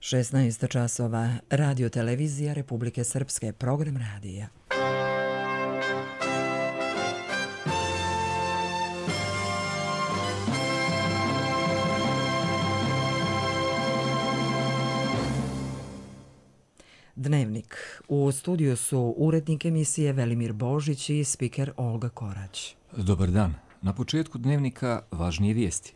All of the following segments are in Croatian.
16 časova, Radio Televizija Republike Srpske, program radija. Dnevnik. U studiju su urednik emisije Velimir Božić i spiker Olga Korać. Dobar dan. Na početku dnevnika važnije vijesti.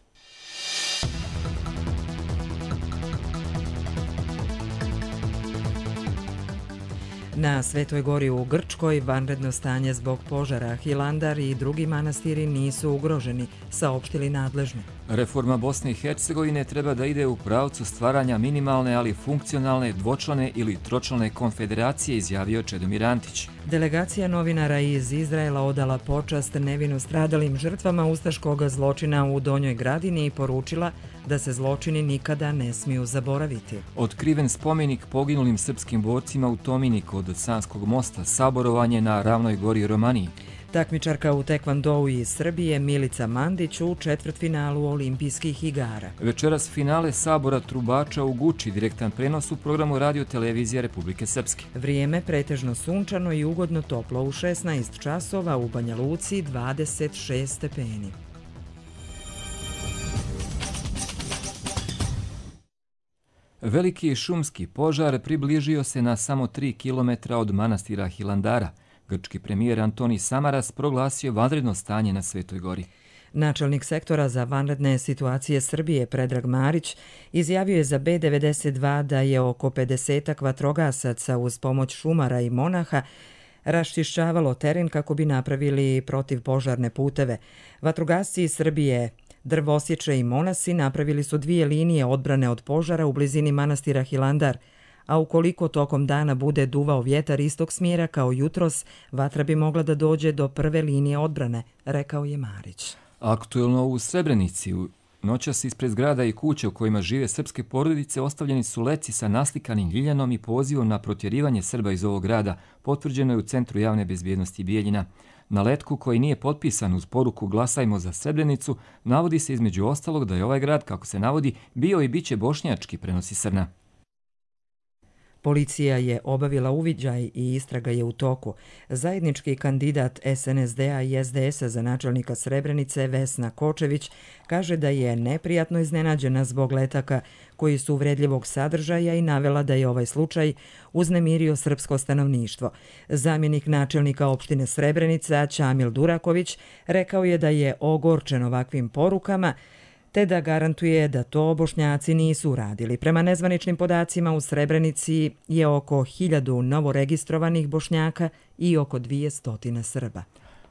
Na Svetoj gori u Grčkoj vanredno stanje zbog požara. Hilandar i drugi manastiri nisu ugroženi, saopštili nadležni. Reforma Bosne i Hercegovine treba da ide u pravcu stvaranja minimalne, ali funkcionalne, dvočlane ili tročlane konfederacije, izjavio Čedomir Antić. Delegacija novinara iz Izraela odala počast nevino stradalim žrtvama ustaškog zločina u Donjoj Gradini i poručila da se zločini nikada ne smiju zaboraviti. Otkriven spomenik poginulim srpskim borcima u Tomini kod Sanskog mosta, saborovanje na Ravnoj gori Romaniji. Takmičarka u tekvondou iz Srbije Milica Mandić u četvrtfinalu Olimpijskih igara. Večeras finale sabora trubača u Guči, direktan prenos u programu Radio Televizija Republike Srpske. Vrijeme pretežno sunčano i ugodno toplo u 16 časova, u Banja Luci 26 stepeni. Veliki šumski požar približio se na samo 3 km od manastira Hilandara. Grčki premijer Antoni Samaras proglasio vanredno stanje na Svetoj gori. Načelnik sektora za vanredne situacije Srbije Predrag Marić izjavio je za B92 da je oko 50 vatrogasaca uz pomoć šumara i monaha raščišćavalo teren kako bi napravili protivpožarne puteve. Vatrogasci iz Srbije, drvosječe i monasi napravili su 2 linije odbrane od požara u blizini manastira Hilandar, a ukoliko tokom dana bude duvao vjetar istog smjera kao jutros, vatra bi mogla da dođe do prve linije odbrane, rekao je Marić. Aktuelno u Srebrenici, noćas ispred zgrada i kuće u kojima žive srpske porodice ostavljeni su leci sa naslikanim ljiljanom i pozivom na protjerivanje Srba iz ovog grada, potvrđeno je u Centru javne bezbjednosti Bijeljina. Na letku koji nije potpisan uz poruku Glasajmo za Srebrenicu, navodi se između ostalog da je ovaj grad, kako se navodi, bio i biće bošnjački, prenosi Srna. Policija je obavila uviđaj i istraga je u toku. Zajednički kandidat SNSD-a i SDS-a za načelnika Srebrenice Vesna Kočević kaže da je neprijatno iznenađena zbog letaka koji su uvredljivog sadržaja i navela da je ovaj slučaj uznemirio srpsko stanovništvo. Zamjenik načelnika opštine Srebrenica Ćamil Duraković rekao je da je ogorčen ovakvim porukama, te da garantuje da to Bošnjaci nisu uradili. Prema nezvaničnim podacima u Srebrenici je oko 1000 novoregistrovanih Bošnjaka i oko 200 Srba.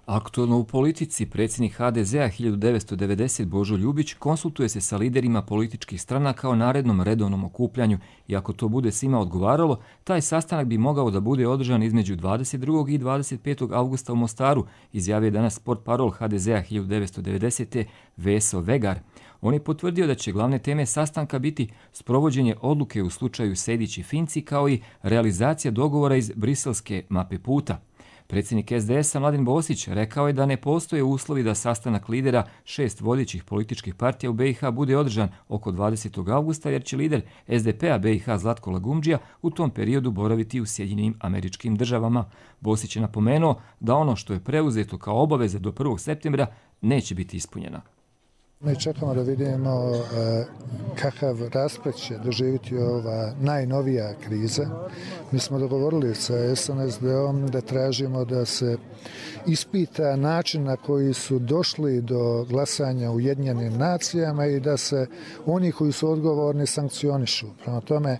Aktualno u politici, predsjednik HDZ-a 1990 Božo Ljubić konsultuje se sa liderima političkih stranaka o narednom redovnom okupljanju i ako to bude svima odgovaralo, taj sastanak bi mogao da bude održan između 22. i 25. avgusta u Mostaru, izjavio je danas portparol HDZ-a 1990. Veso Vegar. On je potvrdio da će glavne teme sastanka biti sprovođenje odluke u slučaju Sejdić i Finci kao i realizacija dogovora iz briselske mape puta. Predsjednik SDS-a Mladen Bosić rekao je da ne postoje uslovi da sastanak lidera 6 vodećih političkih partija u BiH bude održan oko 20. avgusta jer će lider SDP-a BiH Zlatko Lagumdžija u tom periodu boraviti u Sjedinjenim Američkim Državama. Bosić je napomenuo da ono što je preuzeto kao obaveza do 1. septembra neće biti ispunjeno. Mi čekamo da vidimo kakav rasplet će doživjeti ova najnovija kriza. Mi smo dogovorili sa SNSD-om da tražimo da se ispita način na koji su došli do glasanja u Ujedinjenim nacijama i da se oni koji su odgovorni sankcionišu. Prema tome,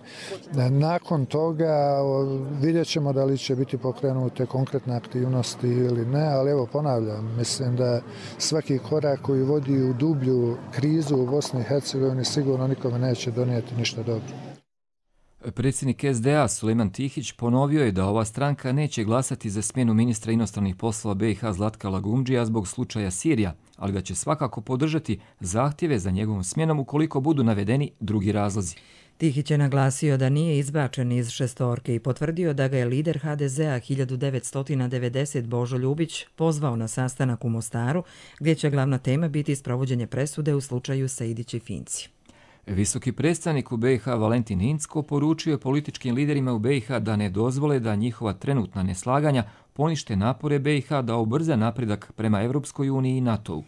nakon toga vidjet ćemo da li će biti pokrenute konkretne aktivnosti ili ne, ali evo ponavljam, mislim da svaki korak koji vodi u dublju krizu u Bosni i Hercegovini sigurno nikome neće donijeti ništa dobro. Predsjednik SDA Sulejman Tihić ponovio je da ova stranka neće glasati za smjenu ministra inostranih poslova BiH Zlatka Lagumdžija zbog slučaja Sirija, ali da će svakako podržati zahtjeve za njegovom smjenom ukoliko budu navedeni drugi razlozi. Tihić je naglasio da nije izbačen iz šestorke i potvrdio da ga je lider HDZ-a 1990 Božo Ljubić pozvao na sastanak u Mostaru, gdje će glavna tema biti sprovođenje presude u slučaju Sejdić i Finci. Visoki predstavnik u BiH Valentin Incko poručio je političkim liderima u BiH da ne dozvole da njihova trenutna neslaganja ponište napore BiH da ubrza napredak prema Europskoj uniji i NATO-u.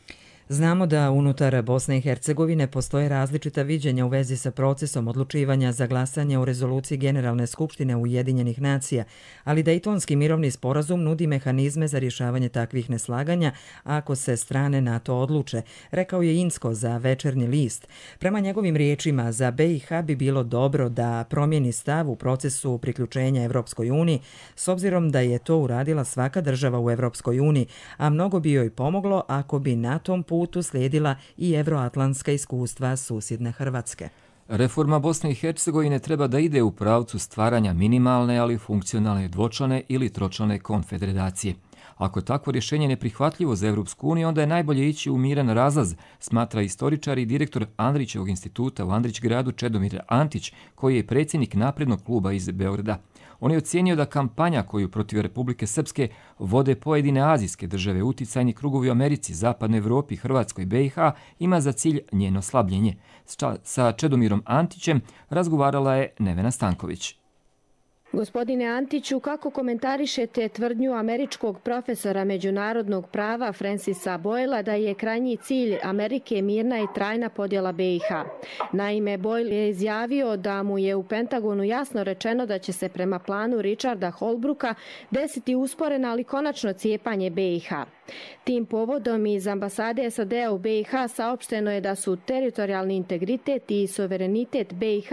Znamo da unutar Bosne i Hercegovine postoje različita viđenja u vezi sa procesom odlučivanja za glasanje u rezoluciji Generalne skupštine Ujedinjenih nacija, ali Dejtonski mirovni sporazum nudi mehanizme za rješavanje takvih neslaganja ako se strane NATO odluče, rekao je Incko za Večernji list. Prema njegovim riječima, za BiH bi bilo dobro da promijeni stav u procesu priključenja Europskoj uniji, s obzirom da je to uradila svaka država u Europskoj uniji, a mnogo bi joj pomoglo ako bi na tom putu slijedila i evroatlantska iskustva susjedne Hrvatske. Reforma Bosne i Hercegovine treba da ide u pravcu stvaranja minimalne, ali funkcionalne dvočlane ili tročlane konfederacije. Ako je takvo rješenje neprihvatljivo za Europsku uniju, onda je najbolje ići u miran razlaz, smatra istoričar i direktor Andrićevog instituta u Andrićgradu Čedomir Antić, koji je predsjednik Naprednog kluba iz Beograda. On je ocijenio da kampanja koju protiv Republike Srpske vode pojedine azijske države, uticajni krugovi u Americi, Zapadnoj Evropi, Hrvatskoj i BiH ima za cilj njeno slabljenje. Sa Čedomirom Antićem razgovarala je Nevena Stanković. Gospodine Antiću, kako komentarišete tvrdnju američkog profesora međunarodnog prava Francisa Boyla da je krajnji cilj Amerike mirna i trajna podjela BiH? Naime, Boyle je izjavio da mu je u Pentagonu jasno rečeno da će se prema planu Richarda Holbrooka desiti usporeno, ali konačno cijepanje BiH. Tim povodom iz ambasade SAD-a u BiH saopšteno je da su teritorijalni integritet i suverenitet BiH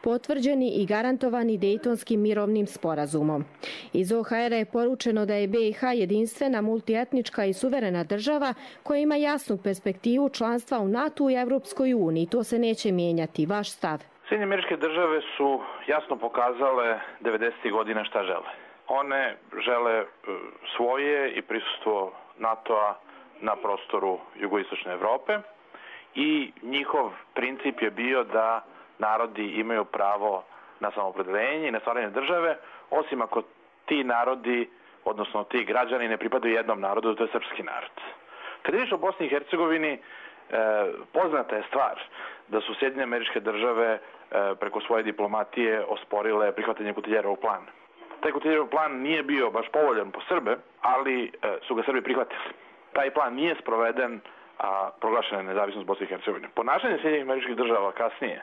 potvrđeni i garantovani Dejtonskim mirovnim sporazumom. Iz OHR je poručeno da je BiH jedinstvena, multietnička i suverena država koja ima jasnu perspektivu članstva u NATO i Europskoj uniji. To se neće mijenjati. Vaš stav? Sjedinjene Američke Države su jasno pokazale 90. godina šta žele. One žele svoje i prisustvo NATO-a na prostoru jugoistočne Evrope i njihov princip je bio da narodi imaju pravo na samoopredeljenje i na stvaranje države, osim ako ti narodi, odnosno ti građani ne pripadaju jednom narodu, to je srpski narod. Kad je riječ o Bosni i Hercegovini, poznata je stvar da su Sjedinjene Američke Države preko svoje diplomatije osporile prihvatanje Kutiljerovog plana. Taj Kutiljerov plan nije bio baš povoljan po Srbe, ali su ga Srbi prihvatili. Taj plan nije sproveden, a proglašena je nezavisnost Bosne i Hercegovine. Ponašanje Sjedinjenih Američkih Država kasnije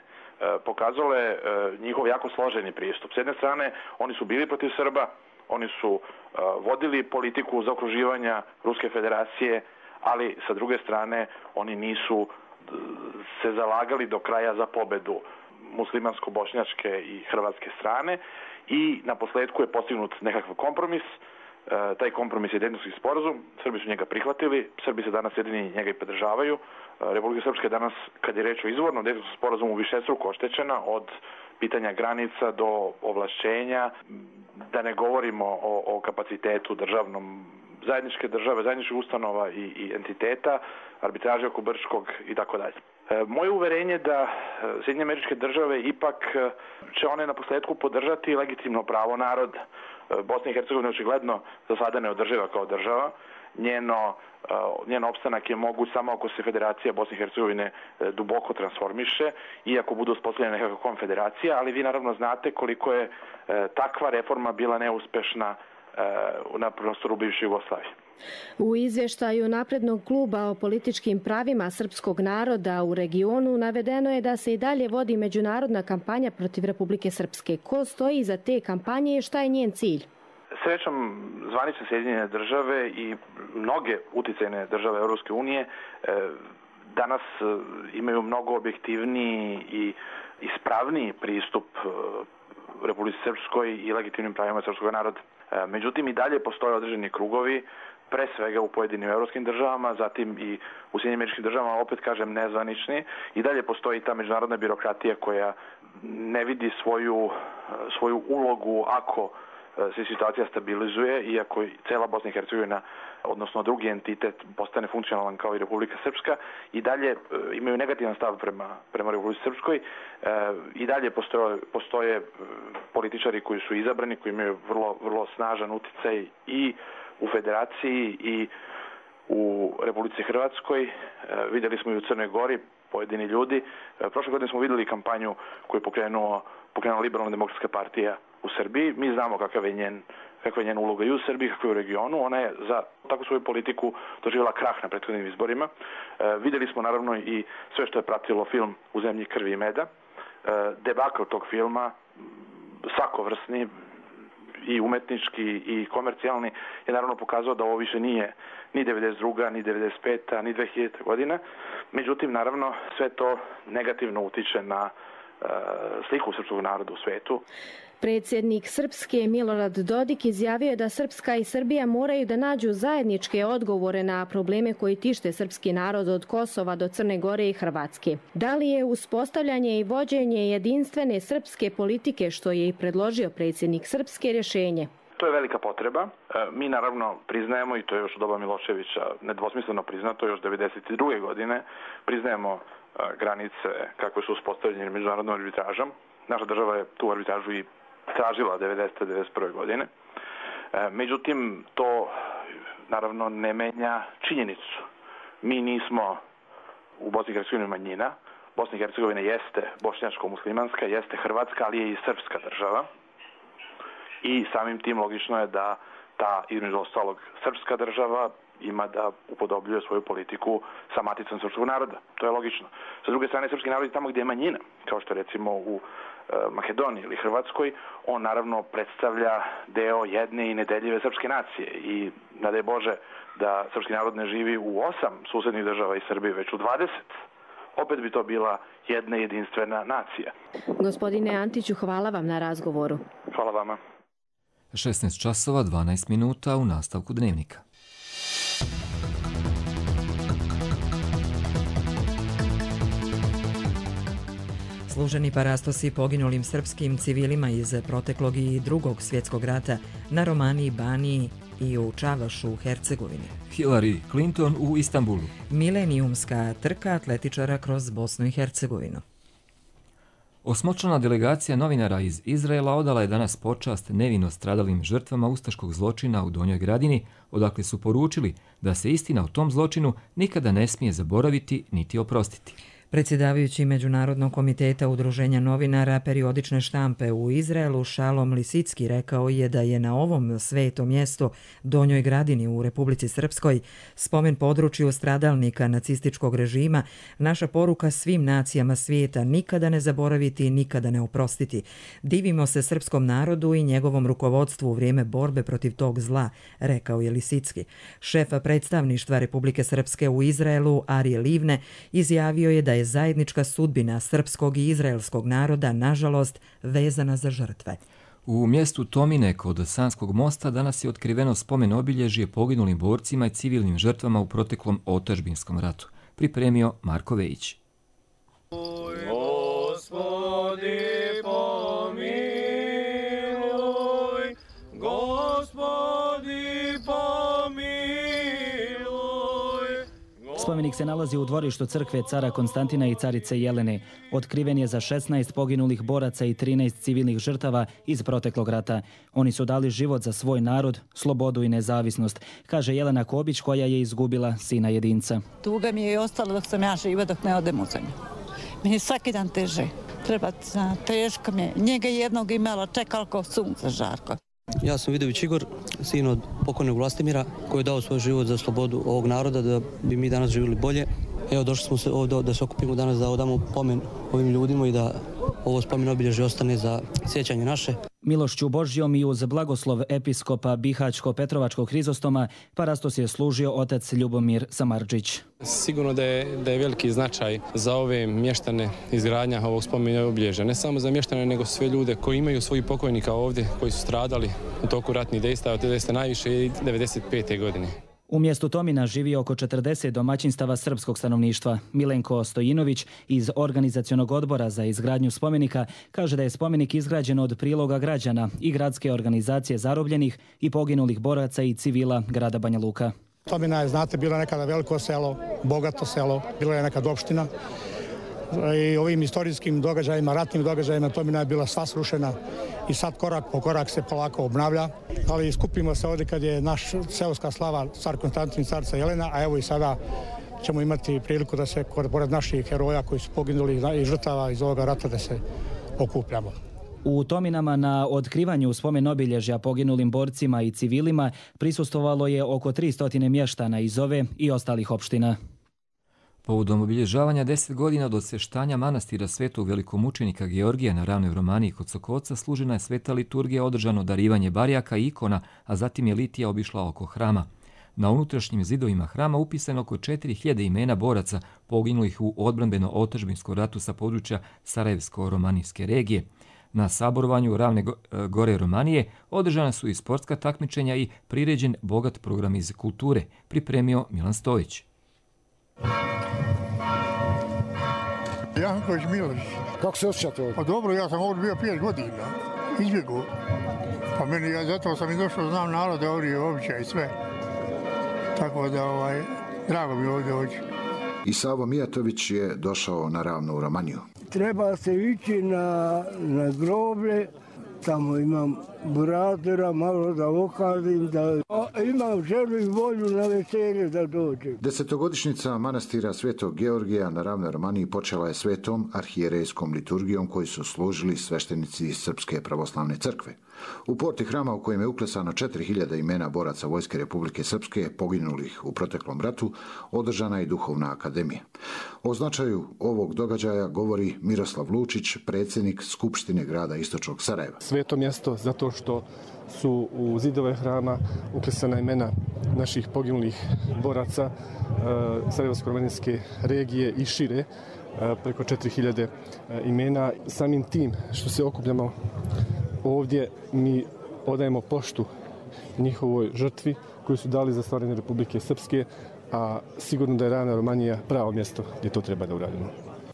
pokazalo je njihov jako složeni pristup. S jedne strane, oni su bili protiv Srba, oni su vodili politiku zaokruživanja Ruske federacije, ali sa druge strane oni nisu se zalagali do kraja za pobedu muslimansko-bošnjačke i hrvatske strane i na posljedku je postignut nekakav kompromis. Taj kompromis je Dejtonski sporazum, Srbi su njega prihvatili, Srbi se danas jedini njega i podržavaju. Republika Srpska je danas, kad je reč o izvornom Dejtonskom sporazumu, višestruko oštećena od pitanja granica do ovlašćenja, da ne govorimo o kapacitetu državnom zajedničke države, zajedničkih ustanova i entiteta, arbitraže oko Brčkog i tako dalje. Moje uverenje da Sjedinjene Američke Države ipak će one na posljedku podržati legitimno pravo naroda. Bosna i Hercegovina očigledno za sada ne održiva kao država. Njen opstanak je moguć samo ako se Federacija Bosne i Hercegovine duboko transformiše i ako budu uspostavljene nekakva konfederacija, ali vi naravno znate koliko je takva reforma bila neuspešna na prostoru bivše Jugoslavije. U izvještaju Naprednog kluba o političkim pravima srpskog naroda u regionu navedeno je da se i dalje vodi međunarodna kampanja protiv Republike Srpske. Ko stoji iza te kampanje i šta je njen cilj? Srećom, zvanične Sjedinjene Države i mnoge uticajne države Europske unije danas imaju mnogo objektivniji i ispravniji pristup Republici Srpskoj i legitimnim pravima srpskog naroda. Međutim, i dalje postoje određeni krugovi, pre svega u pojedinim europskim državama, zatim i u Sjedinjenim Američkim Državama, opet kažem nezvanični, i dalje postoji ta međunarodna birokratija koja ne vidi svoju ulogu ako se situacija stabilizuje i ako cela Bosna i Hercegovina, odnosno drugi entitet, postane funkcionalan kao i Republika Srpska, i dalje imaju negativan stav prema Republici Srpskoj. I dalje postoje političari koji su izabrani, koji imaju vrlo snažan uticaj i u Federaciji i u Republici Hrvatskoj. Vidjeli smo i u Crnoj Gori pojedini ljudi. Prošle godine smo videli kampanju koju je pokrenula Liberalna demokratska partija u Srbiji. Mi znamo kakva je njen uloga i u Srbiji, kakva je u regionu. Ona je za takvu svoju politiku doživjela krah na prethodnim izborima. Videli smo naravno i sve što je pratilo film U zemlji krvi i meda. Debakl tog filma, svakovrsni, i umetnički i komercijalni, je naravno pokazao da ovo više nije ni 92. ni 95. ni 2000. godina. Međutim, naravno, sve to negativno utiče na sliku srpskog naroda u svetu. Predsjednik Srpske Milorad Dodik izjavio je da Srpska i Srbija moraju da nađu zajedničke odgovore na probleme koji tište srpski narod od Kosova do Crne Gore i Hrvatske. Da li je uspostavljanje i vođenje jedinstvene srpske politike, što je i predložio predsjednik Srpske, rješenje? To je velika potreba. Mi naravno priznajemo, i to je još od doba Miloševića nedvosmisleno priznato, još 1992. godine, priznajemo granice kakve su uspostavljene međunarodnom arbitražom. Naša država je tu arbitražu i tražila 1991. godine. Međutim, to naravno ne menja činjenicu. Mi nismo u Bosni i Hercegovini manjina. Bosna i Hercegovina jeste bošnjačko-muslimanska, jeste hrvatska, ali je i srpska država. I samim tim logično je da ta, između ostalog, srpska država ima da upodobljuje svoju politiku sa maticom srpskog naroda. To je logično. Sa druge strane, srpski narod je tamo gdje je manjina, kao što recimo u Makedoniji ili Hrvatskoj, on naravno predstavlja deo jedne i nedeljive srpske nacije i nadaj Bože da srpski narod ne živi u 8 susednih država i Srbije, već u 20. Opet bi to bila jedna jedinstvena nacija. Gospodine Antiću, hvala vam na razgovoru. Hvala vama. 16 časova 12 minuta u nastavku Dnevnika. Služeni parastosi poginulim srpskim civilima iz proteklog i drugog svjetskog rata na Romaniji, Baniji i u Čavašu u Hercegovini. Hillary Clinton u Istanbulu. Milenijumska trka atletičara kroz Bosnu i Hercegovinu. Osmočlana delegacija novinara iz Izraela odala je danas počast nevino stradalim žrtvama ustaškog zločina u Donjoj Gradini, odakle su poručili da se istina o tom zločinu nikada ne smije zaboraviti niti oprostiti. Predsjedavajući Međunarodnog komiteta udruženja novinara periodične štampe u Izraelu Šalom Lisicki rekao je da je na ovom svetom mjestu Donjoj Gradini u Republici Srpskoj, spomen području stradalnika nacističkog režima, naša poruka svim nacijama svijeta nikada ne zaboraviti i nikada ne oprostiti. Divimo se srpskom narodu i njegovom rukovodstvu u vrijeme borbe protiv tog zla, rekao je Lisicki. Šef predstavništva Republike Srpske u Izraelu Arije Livne izjavio je da je zajednička sudbina srpskog i izraelskog naroda, nažalost, vezana za žrtve. U mjestu Tomine kod Sanskog mosta danas je otkriveno spomen obilježje poginulim borcima i civilnim žrtvama u proteklom otadžbinskom ratu. Pripremio Marko Vejić. Spomenik se nalazi u dvorištu crkve cara Konstantina i carice Jelene. Otkriven je za 16 poginulih boraca i 13 civilnih žrtava iz proteklog rata. Oni su dali život za svoj narod, slobodu i nezavisnost, kaže Jelena Kobić koja je izgubila sina jedinca. Tuga mi je i ostalo dok sam ja živa, dok ne odem u zemlju. Meni je svaki dan teže. Teško mi je. Njega jednog imala, čekala kao sunce žarko. Ja sam Vidović Igor, sin od pokojnog Vlastimira, koji je dao svoj život za slobodu ovog naroda, da bi mi danas živjeli bolje. Evo, došli smo se ovdje da se okupimo danas, da odamo pomen ovim ljudima i da ovo spomen obilježje ostane za sjećanje naše. Milošću Božjom i uz blagoslov episkopa Bihaćko-Petrovačkog Hrizostoma parastos je služio otac Ljubomir Samardžić. Sigurno da je veliki značaj za ove mještane izgradnja ovog spomena obilježja. Ne samo za mještane, nego sve ljude koji imaju svojih pokojnika ovdje, koji su stradali u toku ratnih dejstava, od 19. najviše i 1995. godine. U mjestu Tomina živi oko 40 domaćinstava srpskog stanovništva. Milenko Stojinović iz Organizacionog odbora za izgradnju spomenika kaže da je spomenik izgrađen od priloga građana i gradske organizacije zarobljenih i poginulih boraca i civila grada Banja Luka. Tomina je, znate, bilo nekada veliko selo, bogato selo, bila je nekad opština. I ovim istorijskim događajima, ratnim događajima, Tomina je bila sva srušena i sad korak po korak se polako obnavlja. Ali skupimo se ovdje kad je naš seoska slava car Konstantin, carca Jelena, a evo i sada ćemo imati priliku da se pored naših heroja koji su poginuli i žrtava iz ovoga rata da se okupljamo. U Tominama na otkrivanju spomen obilježja poginulim borcima i civilima prisustvovalo je oko 300 mještana iz ove i ostalih opština. Povodom obilježavanja 10 godina od osveštanja manastira svetog velikomučenika Georgija na Ravnoj Romaniji kod Sokoca služena je sveta liturgija, održano darivanje barjaka i ikona, a zatim je litija obišla oko hrama. Na unutrašnjim zidovima hrama upisano oko 4000 imena boraca poginulih u odbrambeno-otadžbinskom ratu sa područja Sarajevsko-romanijske regije. Na saborovanju Ravne Gore Romanije održana su i sportska takmičenja i priređen bogat program iz kulture, pripremio Milan Stojić. Janković Miloš. Kako se osjećate ovdje? Pa dobro, ja sam ovdje bio 5 godina, izbjegu. Pa meni, zato sam i došao, znam narode ovdje, običaj i sve. Tako da, drago mi ovdje doći. I Savo Mijatović je došao na Ravnu Romaniju. Treba se ići na groblje, tamo imam buratora, malo da okadim, da imam želju i volju na veselje da dođem. 10-godišnjica manastira Svetog Georgija na Ravnoj Romaniji počela je svetom arhijerejskom liturgijom koju su služili sveštenici Srpske pravoslavne crkve. U porti hrama u kojem je uklesano 4000 imena boraca Vojske Republike Srpske poginulih u proteklom ratu, održana je duhovna akademija. O značaju ovog događaja govori Miroslav Lučić, predsjednik Skupštine grada Istočnog Sarajeva. Sveto mjesto zato što su u zidove hrama uklesana imena naših poginulih boraca Sarajevsko-romanijske regije i šire, preko 4000 imena. Samim tim što se okupljamo ovdje, mi odajemo poštu njihovoj žrtvi koju su dali za stvaranje Republike Srpske, a sigurno da je Ravna Romanija pravo mjesto gdje to treba da uradimo.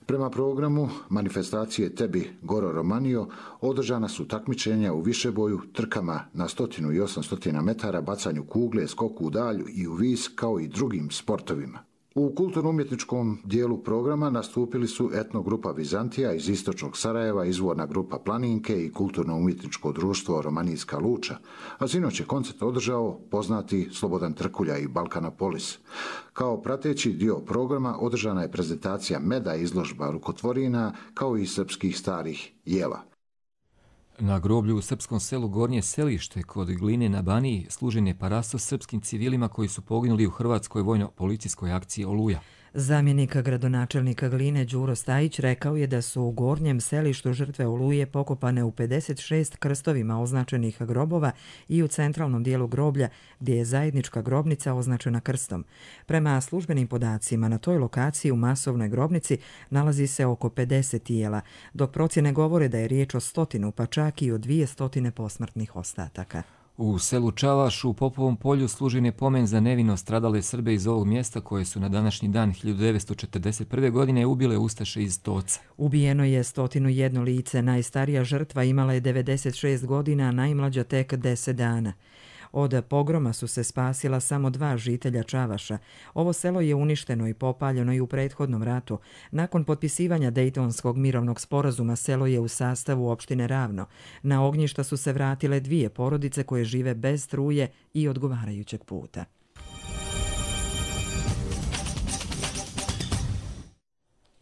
Prema programu manifestacije Tebi Goro Romanio održana su takmičenja u višeboju, trkama na 100 i 800 metara, bacanju kugle, skoku u dalju i u vis, kao i drugim sportovima. U kulturno-umjetničkom dijelu programa nastupili su etnogrupa Vizantija iz Istočnog Sarajeva, izvorna grupa Planinke i kulturno-umjetničko društvo Romanijska Luča, a sinoć je koncert održao poznati Slobodan Trkulja i Balkanopolis. Kao prateći dio programa održana je prezentacija meda, izložba rukotvorina, kao i srpskih starih jela. Na groblju u srpskom selu Gornje Selište kod Gline na Baniji služen je parasto srpskim civilima koji su poginuli u hrvatskoj vojno-policijskoj akciji Oluja. Zamjenik gradonačelnika Gline Đuro Stajić rekao je da su u Gornjem Selištu žrtve Oluje pokopane u 56 krstovima označenih grobova i u centralnom dijelu groblja gdje je zajednička grobnica označena krstom. Prema službenim podacima na toj lokaciji u masovnoj grobnici nalazi se oko 50 tijela, dok procjene govore da je riječ o 100, pa čak i o 200 posmrtnih ostataka. U selu Čavaš u Popovom polju služen je pomen za nevino stradale Srbe iz ovog mjesta koje su na današnji dan 1941. godine ubile ustaše iz Toca. Ubijeno je 101 lice, najstarija žrtva imala je 96 godina, a najmlađa tek 10 dana. Od pogroma su se spasila samo 2 žitelja Čavaša. Ovo selo je uništeno i popaljeno i u prethodnom ratu. Nakon potpisivanja Dejtonskog mirovnog sporazuma selo je u sastavu opštine Ravno. Na ognjišta su se vratile 2 porodice koje žive bez struje i odgovarajućeg puta.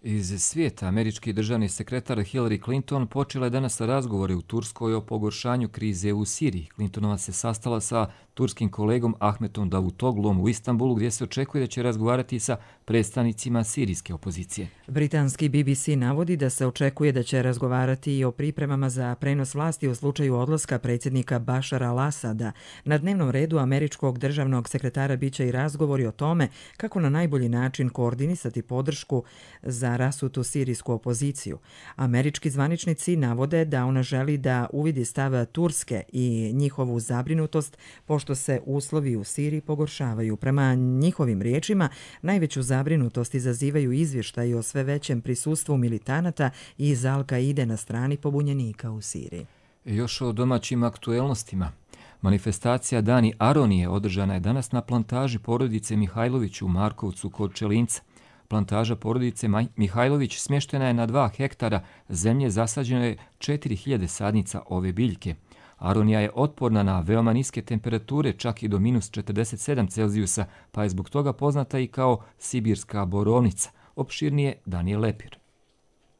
Iz svijeta, američki državni sekretar Hillary Clinton počela je danas razgovore u Turskoj o pogoršanju krize u Siriji. Clintonova se sastala sa turskim kolegom Ahmetom Davutoglom u Istanbulu, gdje se očekuje da će razgovarati sa predstavnicima sirijske opozicije. Britanski BBC navodi da se očekuje da će razgovarati i o pripremama za prenos vlasti u slučaju odlaska predsjednika Bašara al-Asada. Na dnevnom redu američkog državnog sekretara biće i razgovori o tome kako na najbolji način koordinisati podršku za rasutu sirijsku opoziciju. Američki zvaničnici navode da ona želi da uvidi stav Turske i njihovu zabrinutost pošto se uslovi u Siriji pogoršavaju. Prema njihovim riječima, najveću zabrinutost izazivaju izvještaji o sve većem prisustvu militanata iz Al-Kaide na strani pobunjenika u Siriji. Još o domaćim aktuelnostima. Manifestacija Dani Aronije održana je danas na plantaži porodice Mihajlović u Markovcu kod Čelinca. Plantaža porodice Mihajlović smještena je na 2 hektara zemlje, zasađeno je 4000 sadnica ove biljke. Aronija je otporna na veoma niske temperature, čak i do minus 47 Celzijusa, pa je zbog toga poznata i kao sibirska borovnica. Opširnije Danijel Lepir.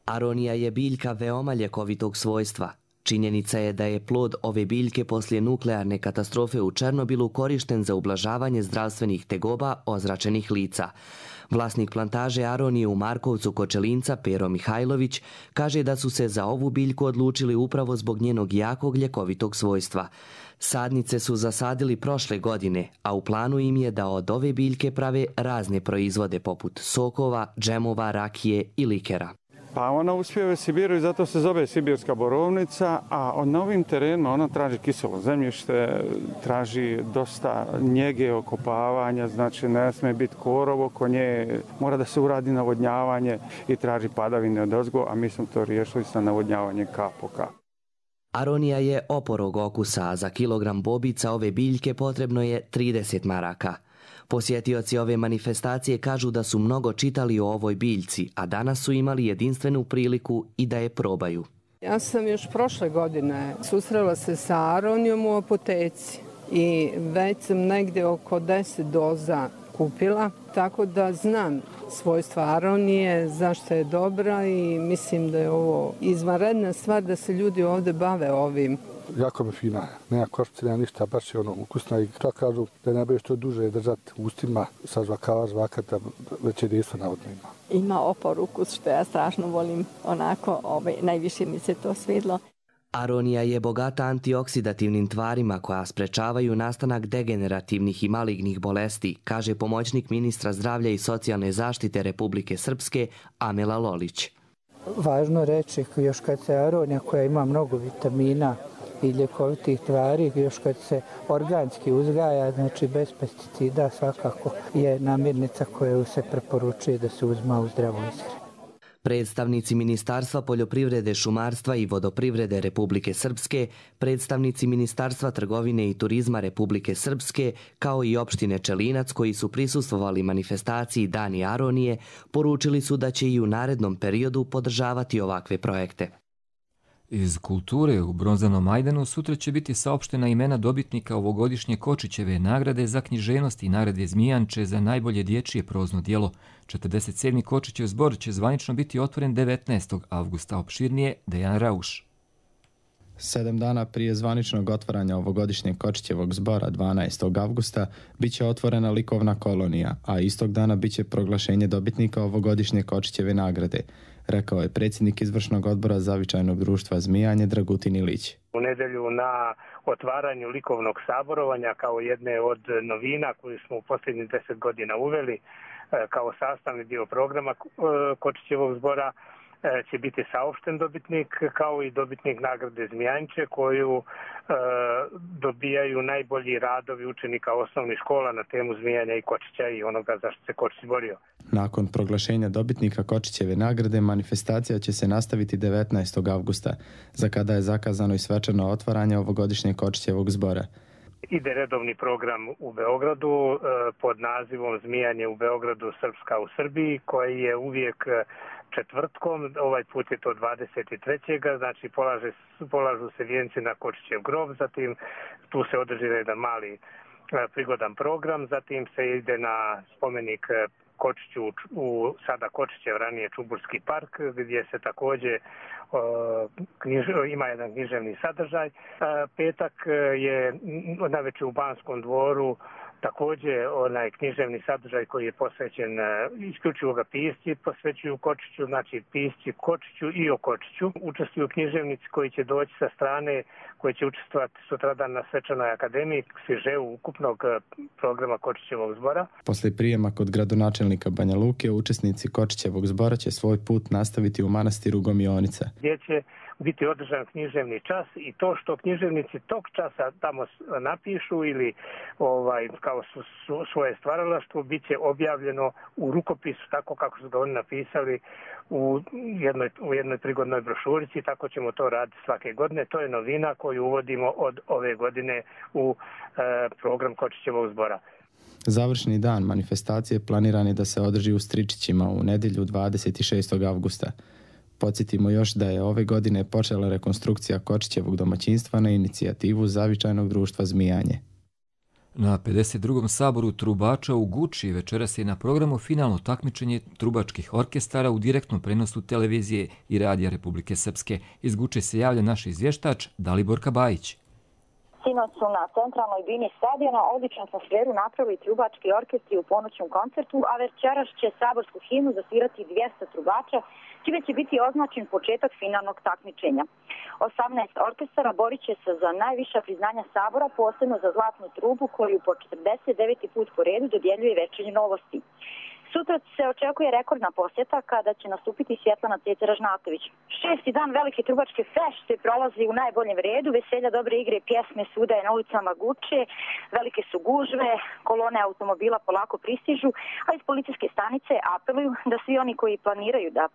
Aronija je biljka veoma ljekovitog svojstva. Činjenica je da je plod ove biljke poslije nuklearne katastrofe u Černobilu korišten za ublažavanje zdravstvenih tegoba ozračenih lica. Vlasnik plantaže Aronije u Markovcu Kočelinca, Pero Mihajlović, kaže da su se za ovu biljku odlučili upravo zbog njenog jakog ljekovitog svojstva. Sadnice su zasadili prošle godine, a u planu im je da od ove biljke prave razne proizvode poput sokova, džemova, rakije i likera. Pa ona uspijeva u Sibiru i zato se zove sibirska borovnica, a na ovim terenima ona traži kiselo zemljište, traži dosta njege, okopavanja, znači ne smije biti korov oko nje, mora da se uradi navodnjavanje i traži padavine odozgo, a mi smo to riješili sa navodnjavanjem kap po kap. Aronija je oporog okusa, a za kilogram bobica ove biljke potrebno je 30 maraka. Posjetioci ove manifestacije kažu da su mnogo čitali o ovoj biljci, a danas su imali jedinstvenu priliku i da je probaju. Ja sam još prošle godine susrela se sa aronijom u apoteci i već sam negdje oko 10 doza kupila, tako da znam svojstva aronije, zašto je dobra i mislim da je ovo izvanredna stvar da se ljudi ovdje bave ovim. Jako mi fina, nema košpice, nema ništa, baš je ukusna i što kažu da ne bude što duže držati u ustima sa žvakata, već je jedinstvo navodno ima. Ima opor ukus što ja strašno volim, onako najviše mi se to svidlo. Aronija je bogata antioksidativnim tvarima koja sprečavaju nastanak degenerativnih i malignih bolesti, kaže pomoćnik ministra zdravlja i socijalne zaštite Republike Srpske Amela Lolić. Važno reći još kad se aronija koja ima mnogo vitamina i ljekovitih tvari, još kad se organski uzgaja, znači bez pesticida, svakako je namirnica koju se preporučuje da se uzma u zdravoj ishrani. Predstavnici Ministarstva poljoprivrede, šumarstva i vodoprivrede Republike Srpske, predstavnici Ministarstva trgovine i turizma Republike Srpske, kao i opštine Čelinac koji su prisustvovali manifestaciji Dani Aronije, poručili su da će i u narednom periodu podržavati ovakve projekte. Iz kulture u Bronzanom Majdanu sutra će biti saopštena imena dobitnika ovogodišnje Kočićeve nagrade za književnost i nagrade Zmijanče za najbolje dječje prozno djelo. 47. Kočićev zbor će zvanično biti otvoren 19. avgusta. Opširnije Dejan Rauš. 7 dana prije zvaničnog otvaranja ovogodišnjeg Kočićevog zbora 12. avgusta bit će otvorena likovna kolonija, a istog dana bit će proglašenje dobitnika ovogodišnje Kočićeve nagrade, rekao je predsjednik izvršnog odbora Zavičajnog društva Zmijanje Dragutin Ilić. U nedelju na otvaranju likovnog saborovanja kao jedne od novina koju smo u posljednjih 10 godina uveli kao sastavni dio programa Kočićevog zbora će biti saopšten dobitnik kao i dobitnik nagrade Zmijanče koju dobijaju najbolji radovi učenika osnovnih škola na temu zmijanja i kočića i onoga za što se Kočić borio. Nakon proglašenja dobitnika Kočićeve nagrade manifestacija će se nastaviti 19. avgusta, za kada je zakazano i svečano otvaranje ovogodišnjeg Kočićevog zbora. Ide redovni program u Beogradu pod nazivom Zmijanje u Beogradu, Srpska u Srbiji, koji je uvijek četvrtkom, ovaj put je to 23. Znači polažu se vijenci na Kočićev grob, zatim tu se održi jedan mali prigodan program, zatim se ide na spomenik Kočiću u sada Kočićev, ranije Čuburski park, gdje se također ima jedan književni sadržaj. Petak je navečer u Banskom dvoru također onaj književni sadržaj koji je posvećen isključivo ga pisci posvećuju Kočiću, znači pisci Kočiću i o Kočiću. Učestvuju književnici koji će doći sa strane, koji će učestvovati sutradan na svečanoj akademiji Sviževu ukupnog programa Kočićevog zbora. Posle prijema kod gradonačelnika Banja Luke, učesnici Kočićevog zbora će svoj put nastaviti u manastiru Gomionica, gdje će biti održan književni čas i to što književnici tog časa tamo napišu ili kao svoje stvaralaštvo bit će objavljeno u rukopisu tako kako su ga oni napisali u jednoj prigodnoj brošurici, tako ćemo to raditi svake godine. To je novina koju uvodimo od ove godine u program Kočićevog zbora. Završni dan manifestacije planiran je da se održi u Stričićima u nedjelju 26. avgusta. Podsjetimo još da je ove godine počela rekonstrukcija Kočićevog domaćinstva na inicijativu Zavičajnog društva Zmijanje. Na 52. saboru trubača u Guči večeras je na programu finalno takmičenje trubačkih orkestara u direktnom prenosu televizije i radija Republike Srpske. Iz Guče se javlja naš izvještač Daliborka Bajić. Sinoć su na centralnoj bini stadiona odličnu atmosferu napravili trubački orkestri u ponoćnom koncertu, a večeras će saborsku himnu zasvirati 200 trubača, čime će biti označen početak finalnog takmičenja. 18 orkestara borit će se za najviša priznanja sabora, posebno za zlatnu trubu koju po 49. put po redu dodjeljuje Večernje novosti. Sutra se očekuje rekordna posjeta kada će nastupiti Svjetlana Ceca-Ražnatović. 6. dan velike trubačke fešte prolazi u najboljem redu, veselja, dobre igre i pjesme svuda je na ulicama Guče, velike su gužve, kolone automobila polako pristižu, a iz policijske stanice apeluju da svi oni koji planiraju da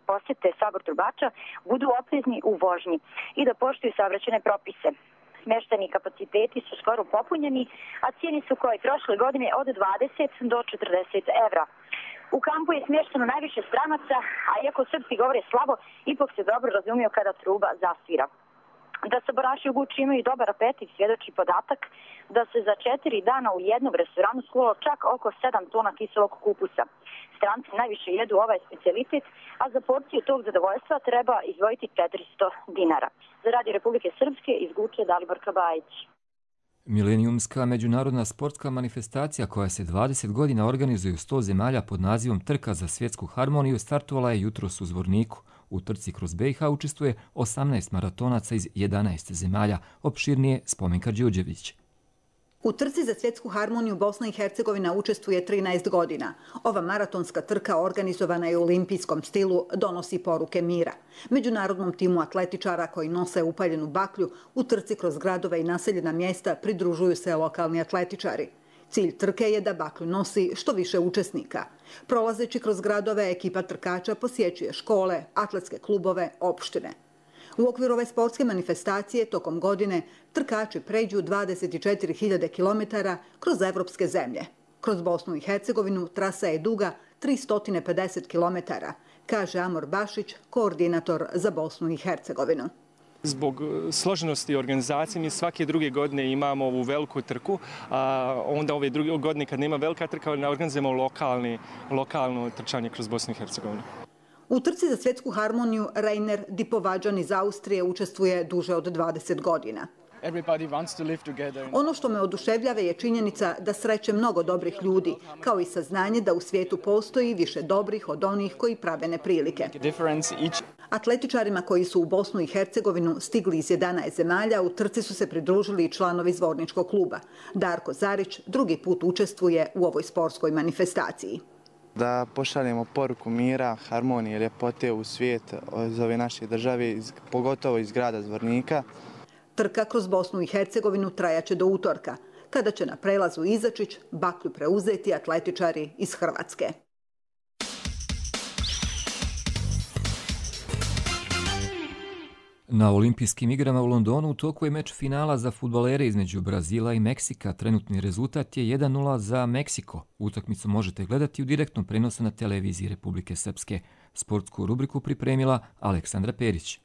posjete sabor trubača budu oprezni u vožnji i da poštuju saobraćajne propise. Smješteni kapaciteti su skoro popunjeni, a cijene su kao i prošle godine od 20 do 40 evra. U kampu je smješteno najviše stranaca, a iako srpski govore slabo, ipak se dobro razumiju kada truba zasvira. Da sabaraši u Guči imaju dobar apetit svjedoči podatak da se za 4 dana u jednom restoranu skulo čak oko 7 tona kiselog kupusa. Stranci najviše jedu ovaj specijalitet, a za porciju tog zadovoljstva treba izdvojiti 400 dinara. Za Radio Republike Srpske iz Guče Daliborka Bajić. Milenijumska međunarodna sportska manifestacija koja se 20 godina organizuje u 100 zemalja pod nazivom Trka za svjetsku harmoniju startovala je jutros u Zvorniku. U trci kroz BiH učestvuje 18 maratonaca iz 11 zemalja, opširnije Spomenka Đurđević. U trci za svjetsku harmoniju Bosna i Hercegovina učestvuje 13 godina. Ova maratonska trka organizovana je u olimpijskom stilu, donosi poruke mira. Međunarodnom timu atletičara koji nose upaljenu baklju u trci kroz gradove i naseljena mjesta pridružuju se lokalni atletičari. Cilj trke je da baklju nosi što više učesnika. Prolazeći kroz gradove, ekipa trkača posjećuje škole, atletske klubove, opštine. U okviru ove sportske manifestacije tokom godine trkači pređu 24.000 km kroz evropske zemlje. Kroz Bosnu i Hercegovinu trasa je duga 350 km, kaže Amor Bašić, koordinator za Bosnu i Hercegovinu. Zbog složenosti organizacije mi svake druge godine imamo ovu veliku trku, a onda ove druge godine kad nema velika trka organizujemo lokalno trčanje kroz Bosnu i Hercegovinu. U trci za svjetsku harmoniju Rainer Dipovađan iz Austrije učestvuje duže od 20 godina. Ono što me oduševljava je činjenica da sreće mnogo dobrih ljudi, kao i saznanje da u svijetu postoji više dobrih od onih koji prave neprilike. Atletičarima koji su u Bosnu i Hercegovinu stigli iz 11 zemalja, u trci su se pridružili i članovi Zvorničkog kluba. Darko Zarić drugi put učestvuje u ovoj sportskoj manifestaciji. Da pošaljemo poruku mira, harmonije, ljepote u svijet za ove naše države, pogotovo iz grada Zvornika. Trka kroz Bosnu i Hercegovinu trajaće do utorka, kada će na prelazu Izačić baklju preuzeti atletičari iz Hrvatske. Na olimpijskim igrama u Londonu u toku je meč finala za fudbalere između Brazila i Meksika. Trenutni rezultat je 1:0 za Meksiko. Utakmicu možete gledati u direktnom prenosu na televiziji Republike Srpske. Sportsku rubriku pripremila Aleksandra Perić.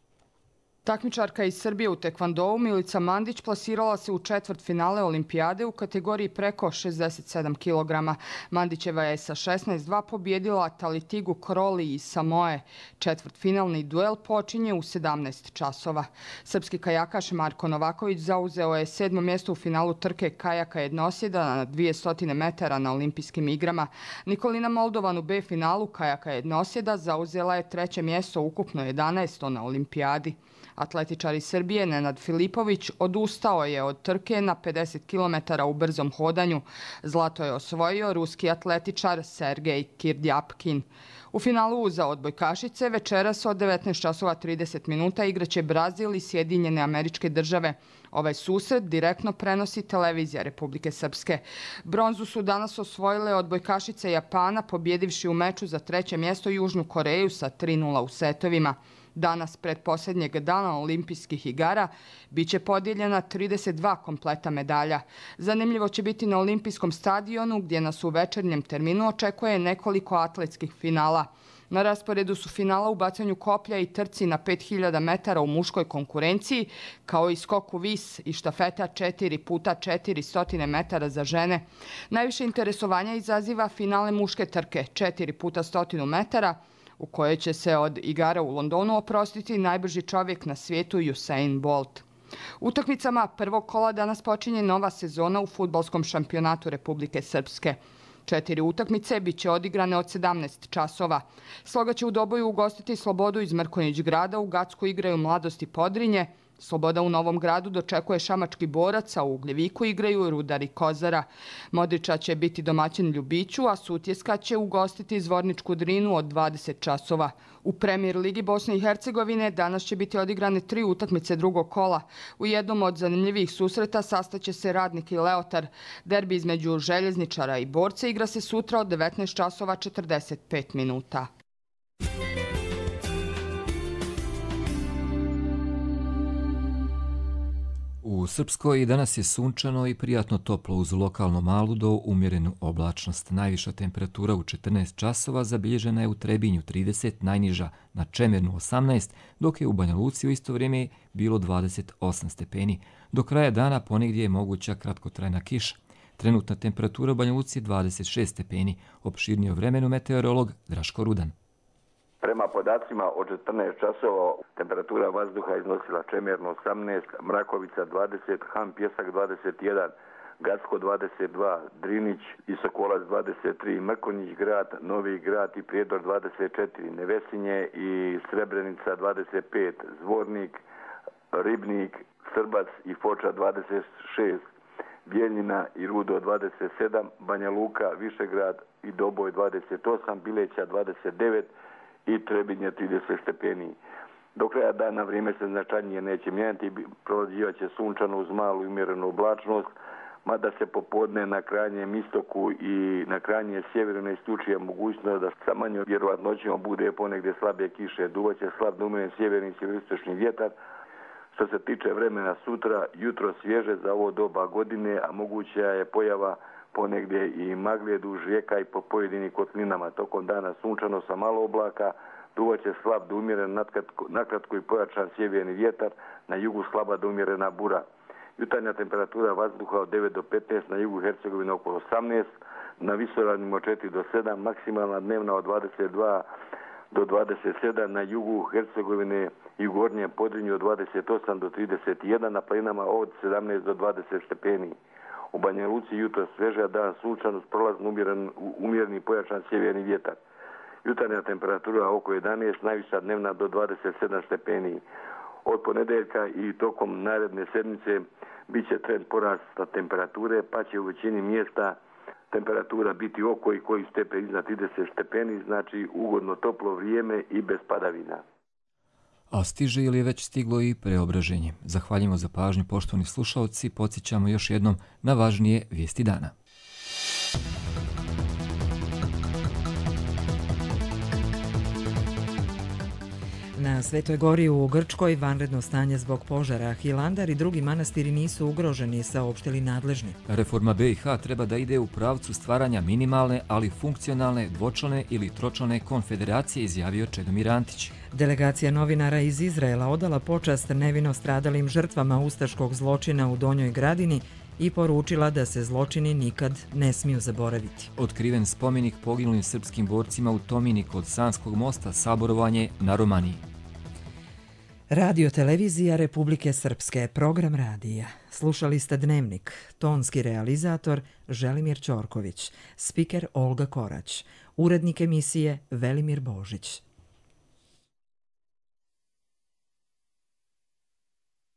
Takmičarka iz Srbije u tekvandou Milica Mandić plasirala se u četvrtfinale olimpijade u kategoriji preko 67 kg. Mandićeva je sa 16:2 pobjedila Talitigu Kroli iz Samoe. Četvrtfinalni duel počinje u 17 časova. Srpski kajakaš Marko Novaković zauzeo je 7. mjesto u finalu trke kajaka jednosjeda na 200 metara na olimpijskim igrama. Nikolina Moldovan u B finalu kajaka jednosjeda zauzela je 3. mjesto ukupno 11. na olimpijadi. Atletičar iz Srbije Nenad Filipović odustao je od trke na 50 km u brzom hodanju. Zlato je osvojio ruski atletičar Sergej Kirdjapkin. U finalu za odbojkašice večeras od 19:30 igraće Brazil i Sjedinjene Američke Države. Ovaj susret direktno prenosi televizija Republike Srpske. Bronzu su danas osvojile odbojkašice Japana, pobjedivši u meču za 3. mjesto Južnu Koreju sa 3:0 u setovima. Danas, pred posljednjeg dana olimpijskih igara, bit će podijeljena 32 kompleta medalja. Zanimljivo će biti na olimpijskom stadionu gdje nas u večernjem terminu očekuje nekoliko atletskih finala. Na rasporedu su finala u bacanju koplja i trci na 5000 metara u muškoj konkurenciji, kao i skoku vis i štafeta 4x400 metara za žene. Najviše interesovanja izaziva finale muške trke 4x100 metara, u kojoj će se od igara u Londonu oprostiti najbrži čovjek na svijetu Usain Bolt. Utakmicama prvog kola danas počinje nova sezona u fudbalskom šampionatu Republike Srpske. 4 utakmice bit će odigrane od 17 časova. Sloga će u Doboju ugostiti Slobodu iz Mrkonjić Grada, u Gacku igraju Mladost i Podrinje. Sloboda u Novom Gradu dočekuje Šamački Borac, a u Ugljeviku igraju Rudar i Kozara. Modriča će biti domaćin Ljubiću, a Sutjeska će ugostiti Zvorničku Drinu od 20 časova. U Premier ligi Bosne i Hercegovine danas će biti odigrane 3 utakmice drugog kola. U jednom od zanimljivih susreta sastaće se Radnik i Leotar. Derbi između Željezničara i Borca igra se sutra od 19 časova 45 minuta. U Srpskoj danas je sunčano i prijatno toplo uz lokalno malu do umjerenu oblačnost. Najviša temperatura u 14 časova zabilježena je u Trebinju 30, najniža na Čemernu 18, dok je u Banja Luci u isto vrijeme bilo 28 stepeni. Do kraja dana ponegdje je moguća kratkotrajna kiša. Trenutna temperatura u Banja Luci je 26 stepeni. Opširnije o vremenu meteorolog Draško Rudan. Prema podacima od 14 časova temperatura vazduha iznosila Čemerno 18, Mrakovica 20, Han Pjesak 21, Gacko 22, Drinić i Sokolac 23, Mrkonjić Grad, Novi Grad i Prijedor 24, Nevesinje i Srebrenica 25, Zvornik, Ribnik, Srbac i Foča 26, Bijeljina i Rudo 27, Banja Luka, Višegrad i Doboj 28, Bileća 29 i Trebinje 30 stepeni. Do kraja dana vrijeme se značajnije neće mijenjati, prolazivat će sunčano uz malu i umjerenu oblačnost, mada se popodne na krajnjem istoku i na krajnjem sjeveru ne isključuje mogućnost da sa manjom vjerovatnoćom bude ponegdje slabije kiše. Duvaće slab da umjeren sjeverni i sjeveroistočni vjetar. Što se tiče vremena sutra, jutro svježe za ovo doba godine, a moguća je pojava ponegdje i magle duž rijeka i po pojedinim kotlinama. Tokom dana sunčano sa malo oblaka, duvaće slab da umjeren nakratko i pojačan sjeverni vjetar, na jugu slaba da umjerena bura. Jutarnja temperatura vazduha od 9 do 15, na jugu Hercegovine oko 18, na visoravnima od 4 do 7, maksimalna dnevna od 22 do 27, na jugu Hercegovine i u gornjem Podrinju od 28 do 31, na planinama od 17 do 20 stepeni. U Banja Luci jutro sveže, dan sunčan uz prolazno umjereni pojačan sjeverni vjetar. Jutarnja temperatura oko 11, najviša dnevna do 27 stepeni. Od ponedeljka i tokom naredne sedmice bit će trend porasta temperature, pa će u većini mjesta temperatura biti oko i koji stepen iznad 30 stepeni, znači ugodno toplo vrijeme i bez padavina. A stiže ili je već stiglo i preobraženje. Zahvaljujemo za pažnju, poštovani slušalci, podsjećamo još jednom na važnije vijesti dana. Na Svetoj Gori u Grčkoj vanredno stanje zbog požara. Hilandar i drugi manastiri nisu ugroženi, saopštili nadležni. Reforma BiH treba da ide u pravcu stvaranja minimalne, ali funkcionalne, dvočlane ili tročlane konfederacije, izjavio Čedomir Antić. Delegacija novinara iz Izraela odala počast nevino stradalim žrtvama ustaškog zločina u Donjoj Gradini i poručila da se zločini nikad ne smiju zaboraviti. Otkriven spomenik poginulim srpskim borcima u Tomini kod Sanskog mosta, saborovanje na Romaniji. Radio televizija Republike Srpske, program radija. Slušali ste Dnevnik, tonski realizator Želimir Ćorković, spiker Olga Korać, urednik emisije Velimir Božić.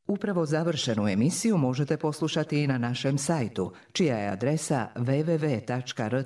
Upravo završenu emisiju možete poslušati i na našem sajtu, čija je adresa www.rtrs.tv.